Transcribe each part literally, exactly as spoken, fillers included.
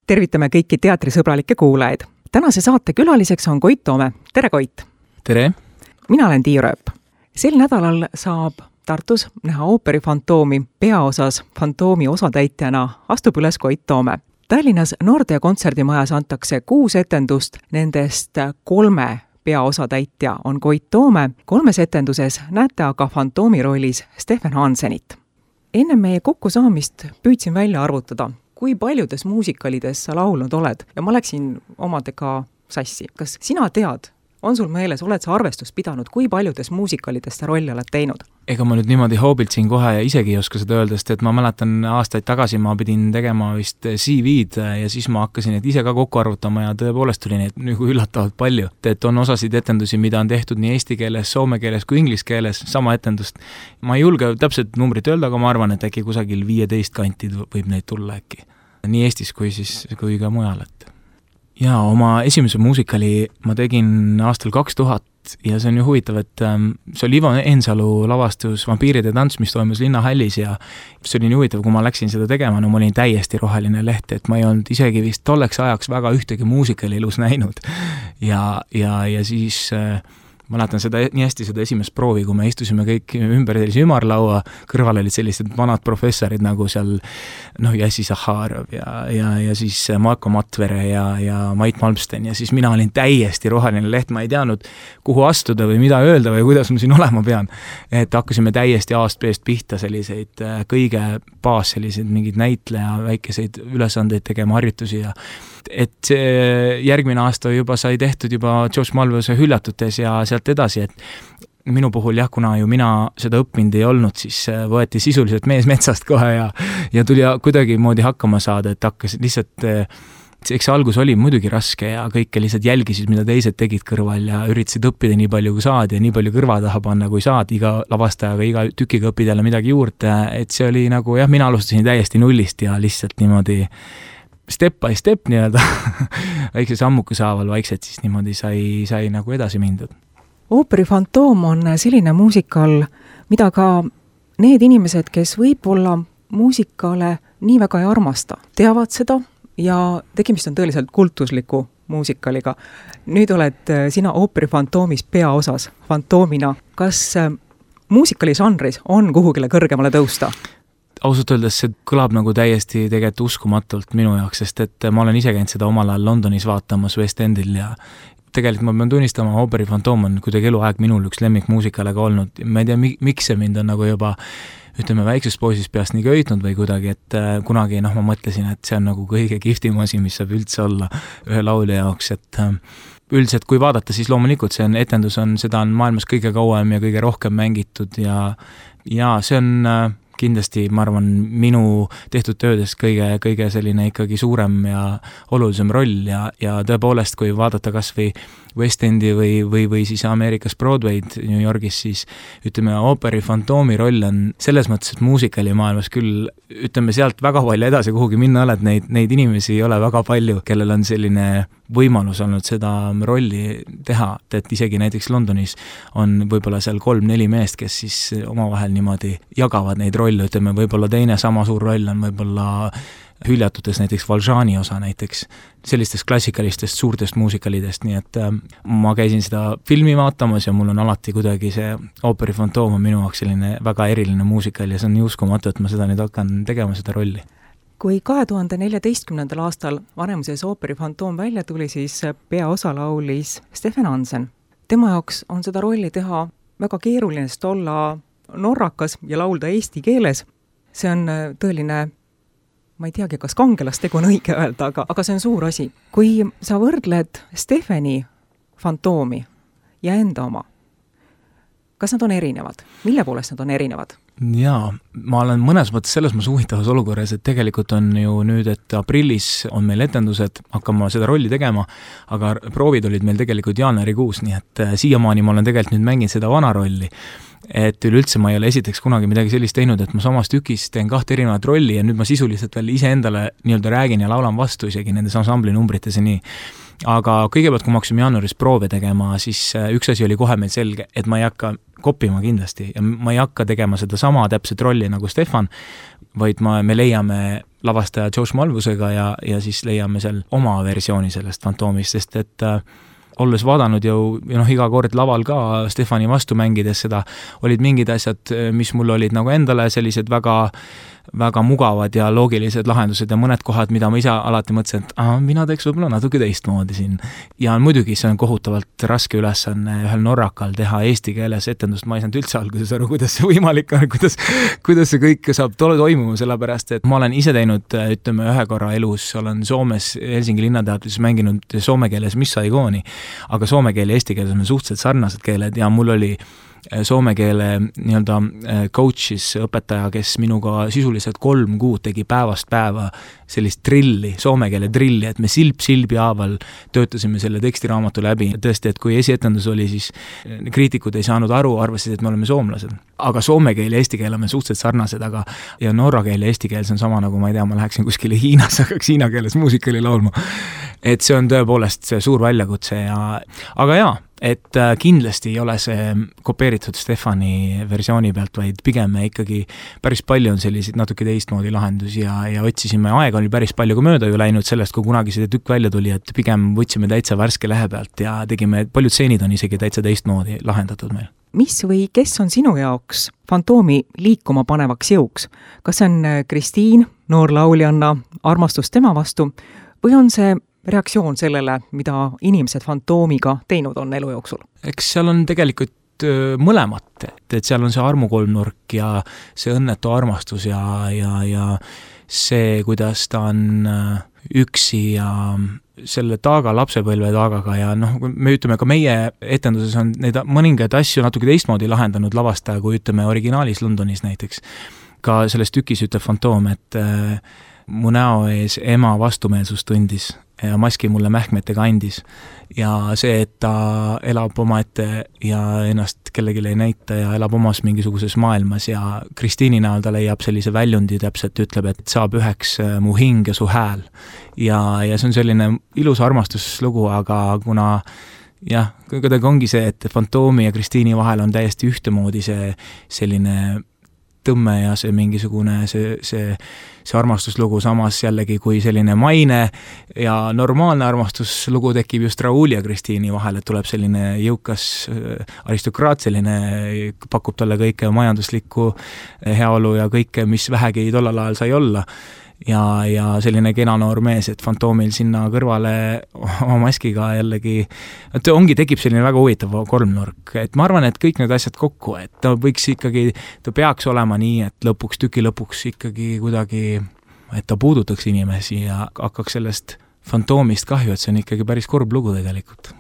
Tervitame kõiki teatrisõbralikke kuulajaid. Tänase saate külaliseks on Koit Toome. Tere, Koit! Tere! Mina olen Tiia Rööp. Sel nädalal saab Tartus näha ooperi Fantoomi peaosas Fantoomi osatäitjana astub üles Koit Toome. Tallinnas Nordea kontserdimajas antakse kuus etendust, nendest kolme peaosatäitja on Koit Toome. Kolmes etenduses näete aga Fantoomi rollis Stefan Hansenit. Enne meie kokkusaamist püüdsin välja arvutada, kui paljudes muusikalides sa laulnud oled ja ma läksin omadega sassi. Kas sina tead, on sul meeles, oled sa arvestust pidanud, kui paljudes muusikalides sa rolli oled teinud? Ega ma nüüd niimoodi hoobilt siin kohe ja isegi ei oska seda öelda, sest et ma mäletan aastaid tagasi ma pidin tegema vist C V-d ja siis ma hakkasin et ise ka kokku arvutama ja tõepoolest tuli neid nagu üllatavalt palju. Et on osasid etendusi, mida on tehtud nii eesti keeles, soome keeles kui inglis keeles, sama etendust. Ma ei julge täpselt numbrit öelda, aga ma arvan, et äkki kusagil viieteist kanti võib neid tulla äkki. Nii Eestis kui, siis, kui ka mujal. Et. Ja oma esimese muusikali ma tegin aastal kaks tuhat ja see on ju huvitav, et ähm, see oli Ivo Eensalu lavastus Vampiiride tants, mis toimus Linnahällis ja see oli nii huvitav, kui ma läksin seda tegema, no ma olin täiesti roheline leht, et ma ei olnud isegi vist tolleks ajaks väga ühtegi muusikali elus näinud ja, ja, ja siis äh, ma mäletan seda nii hästi seda esimest proovi, kui me istusime kõik ümber sellise ümarlaua, kõrval olid sellised vanad professorid nagu seal noh, Jassi Zaharov ja, ja, ja siis Marko Matvere ja, ja Mait Malmsten ja siis mina olin täiesti roheline leht, ma ei teadnud, kuhu astuda või mida öelda või kuidas ma siin olema pean. Et hakkasime täiesti aastpeest pihta selliseid kõige baas selliseid mingid näitleja väikeseid ülesandeid tegema harjutusi ja et see järgmine aasta juba sai tehtud juba George Malvose Hüljatutes ja sealt edasi, et minu puhul jah, kuna ju mina seda õppinud ei olnud, siis võeti sisuliselt mees metsast kohe ja, ja tuli kuidagi moodi hakkama saada, et hakkas lihtsalt, eks see algus oli muidugi raske ja kõike lihtsalt jälgisid, mida teised tegid kõrval ja üritasid õppida nii palju kui saad ja nii palju kõrva taha panna kui saad, iga lavastajaga, iga tükiga õppida jälle midagi juurde, et see oli nagu jah, mina alustasin täiesti nullist ja lihtsalt niimoodi step by step nii-öelda väikse sammuku saaval vaikselt siis niimoodi sai, sai nagu edasi mindud. Ooperi Fantoom on selline muusikal, mida ka need inimesed, kes võib-olla muusikale nii väga ei armasta, teavad seda ja tegemist on tõeliselt kultusliku muusikaliga. Nüüd oled sina Ooperi Fantoomis peaosas Fantoomina. Kas muusikali žanris on kuhugile kõrgemale tõusta? Ausalt öeldes see kõlab nagu täiesti tegelikult uskumatult minu jaoks, sest et ma olen ise käinud seda omal ajal Londonis vaatamas West Endil ja tegelikult ma pean tunnistama, Ooperi Fantoom on kuidagi eluaeg minul üks lemmikmuusikalega olnud. Ma ei tea, miks see mind on nagu juba ütleme väiksest poisist peast nii köitnud või kuidagi, et kunagi noh, ma mõtlesin, et see on nagu kõige kihvtim asi, mis saab üldse olla ühe laulja jaoks, et üldiselt kui vaadata, siis loomulikult see on, etendus on, seda on maailmas kõige kauem ja kõige rohkem mängitud ja, ja see on kindlasti, ma arvan, minu tehtud töödes kõige, kõige selline ikkagi suurem ja olulisem roll ja, ja tõepoolest, kui vaadata kas või West Endi või, või, või siis Ameerikas Broadway'd New Yorgis, siis ütleme, Ooperi Fantoomi roll on selles mõttes, et muusikali maailmas küll, ütleme sealt väga palju edasi kuhugi minna oled, neid, neid inimesi ei ole väga palju, kellel on selline võimalus olnud seda rolli teha, et isegi näiteks Londonis on võib-olla seal kolm-neli meest, kes siis omavahel niimoodi jagavad neid rolle, ütleme võib-olla teine sama suur roll on võib-olla Hüljatutes näiteks Valjeani osa näiteks, sellistest klassikalistest suurtest muusikalidest, nii et äh, ma käisin seda filmi vaatamas ja mul on alati kuidagi see Ooperi Fantoom on minu jaoks selline väga eriline muusikal ja see on nii uskumatu, et ma seda nüüd hakkan tegema seda rolli. Kui kahe tuhande neljateistkümnendal aastal Vanemuises Ooperi Fantoom välja tuli, siis peaosa laulis Stefan Hansen. Tema jaoks on seda rolli teha väga keeruline, sest olla norrakas ja laulda eesti keeles. See on tõeline, ma ei teagi, kas kangelastegu on õige öelda, aga, aga see on suur asi. Kui sa võrdled Stefani Fantoomi ja enda oma, kas nad on erinevad? Mille poolest nad on erinevad? Jaa, ma olen mõnes mõttes selles mõttes huvitavas olukorras, et tegelikult on ju nüüd, et aprillis on meil etendused, hakkama seda rolli tegema, aga proovid olid meil tegelikult jaanuarikuus, nii et siiamaani ma olen tegelikult nüüd mänginud seda vana rolli. Et üleüldse ma ei ole esiteks kunagi midagi sellist teinud, et ma samas tükis teen kahte erinevat rolli ja nüüd ma sisuliselt veel ise endale nii-öelda räägin ja laulan vastu isegi nendes ansambli numbrites ja nii. Aga kõigepealt, kui ma hakkasime jaanuaris proove tegema, siis üks asi oli kohe meil selge, et ma ei hakka koppima kindlasti ja ma ei hakka tegema seda sama täpset rolli nagu Stefan, vaid ma, me leiame lavastaja Josh Malvusega ja, ja siis leiame seal oma versiooni sellest Fantoomist, sest et äh, olles vaadanud ju, ja noh, iga kord laval ka Stefani vastu mängides seda, olid mingid asjad, mis mul olid nagu endale sellised väga väga mugavad ja loogilised lahendused ja mõned kohad, mida ma ise alati mõtlesin, et aha, mina teeks võib-olla natuke teistmoodi siin. Ja muidugi see on kohutavalt raske ülesanne ühel norrakal teha eesti keeles etendust, ma ei saanud üldse alguses aru, kuidas see võimalik on, kuidas, kuidas see kõik saab toimuma, sellepärast et ma olen ise teinud, ütleme, ühe korra elus, olen Soomes Helsingi linnateatris mänginud soome keeles Miss Saigooni, aga soome keel ja eesti keeles on suhteliselt sarnased keeled ja mul oli soome keele nii-öelda coach'is õpetaja, kes minuga sisuliselt kolm kuud tegi päevast päeva sellist drilli, soome keele drilli, et me silp silbi haaval töötasime selle tekstiraamatu läbi. Tõesti, et kui esietendus oli, siis kriitikud ei saanud aru, arvasid, et me oleme soomlased. Aga soome keel ja eesti keel on suhteliselt sarnased, aga ja norra keel ja eesti keel see on sama nagu, ma ei tea, ma läheksin kuskile Hiinas, hakkaks hiina keeles muusikali laulma. Et see on tõepoolest see suur väljakutse ja, aga jaa, et kindlasti ei ole see kopeeritud Stefani versiooni pealt, vaid pigem ikkagi päris palju on selliseid natuke teistmoodi lahendusi ja, ja otsisime, aega oli päris palju kui mööda ju läinud sellest, kui kunagi see tükk välja tuli, et pigem võtsime täitsa värske lehe pealt ja tegime, paljud stseenid on isegi täitsa teistmoodi lahendatud meil. Mis või kes on sinu jaoks Fantoomi liikuma panevaks jõuks? Kas see on Kristiin, noor lauljanna, armastus tema vastu või on see reaktsioon sellele, mida inimesed Fantoomiga teinud on elu jooksul? Eks seal on tegelikult mõlemat, et, et seal on see armukolmnurk ja see õnnetu armastus ja, ja, ja see, kuidas ta on üksi ja selle taaga, lapsepõlve taagaga ja noh, me ütleme ka meie etenduses on neid mõningaid asju natuke teistmoodi lahendanud lavastaja, kui ütleme originaalis Londonis näiteks. Ka selles tükis ütleb Fantoom, et äh, mu näo ees ema vastumeelsus tundis ja maski mulle mähkmetega andis. Ja see, et ta elab omaette ja ennast kellelegi ei näita ja elab omas mingisuguses maailmas ja Kristiini näol ta leiab sellise väljundi täpselt, ütleb, et saab üheks mu hing ja su hääl. Ja, ja see on selline ilus armastuslugu, aga kuna jah, kuidagi ongi see, et Fantoomi ja Kristiini vahel on täiesti ühtemoodi see selline tõmme ja see mingisugune see, see, see armastuslugu samas jällegi kui selline maine ja normaalne armastuslugu tekib just Raul ja Kristiini vahel, et tuleb selline jõukas aristokraat, selline pakub talle kõike majanduslikku heaolu ja kõike, mis vähegi tollal ajal sai olla. Ja, ja selline kena noor mees, et Fantoomil sinna kõrvale oma maskiga jällegi, et ongi, tekib selline väga huvitav kolmnurk, et ma arvan, et kõik need asjad kokku, et ta võiks ikkagi, ta peaks olema nii, et lõpuks, tüki lõpuks ikkagi kuidagi, et ta puudutaks inimesi ja hakkaks sellest Fantoomist kahju, et see on ikkagi päris kurb lugu tegelikult.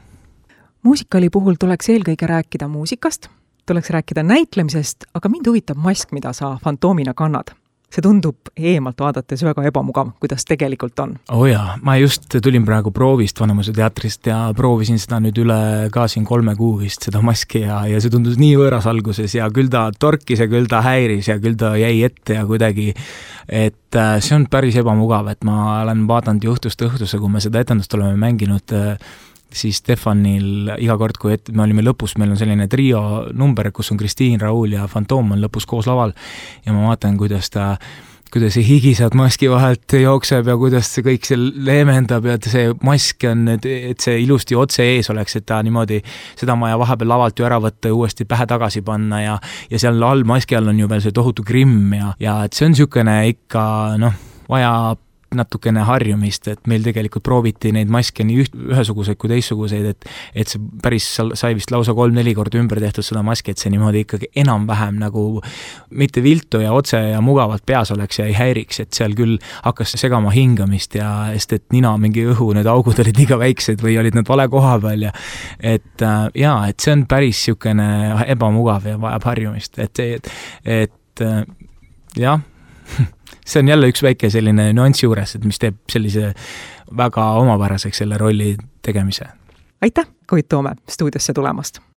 Muusikali puhul tuleks eelkõige rääkida muusikast, tuleks rääkida näitlemisest, aga mind huvitab mask, mida sa Fantoomina kannad. See tundub eemalt vaadates väga ebamugav, kuidas tegelikult on. Oh jaa, ma just tulin praegu proovist Vanemuise teatrist ja proovisin seda nüüd üle ka siin kolme kuu vist seda maski ja, ja see tundus nii võõras alguses ja küll ta torkis ja küll ta häiris ja küll ta jäi ette ja kuidagi, et see on päris ebamugav, et ma olen vaadanud juhtust õhtusse, kui me seda etendust oleme mänginud siis Stefanil iga kord, kui et me olime lõpus, meil on selline trio number, kus on Kristiin, Raul ja Fantoom on lõpus koos laval ja ma vaatan, kuidas ta kuidas see higi sealt maski vahelt jookseb ja kuidas see kõik see leemendab ja see mask on, et see ilusti otse ees oleks, et ta niimoodi seda maja vahepeal lavalt ju ära võtta ja uuesti pähe tagasi panna ja, ja seal all maski all on ju veel see tohutu grimm ja, ja et see on niisugune ikka noh, vaja natukene harjumist, et meil tegelikult prooviti neid maske nii üht, ühesuguseid kui teistsuguseid, et, et see päris sai vist lausa kolm-neli korda ümber tehtud seda maski, et see niimoodi ikkagi enam-vähem nagu mitte viltu ja otse ja mugavalt peas oleks ja ei häiriks, et seal küll hakkas segama hingamist ja sest et nina mingi õhu, need augud olid liiga väiksed või olid nad vale koha peal ja et äh, jaa, et see on päris niisugune ebamugav ja vajab harjumist, et, et, et äh, jah, see on jälle üks väike selline nüansi juures, et mis teeb sellise väga omapäraseks selle rolli tegemise. Aitäh, Koit Toome, stuudiosse tulemast!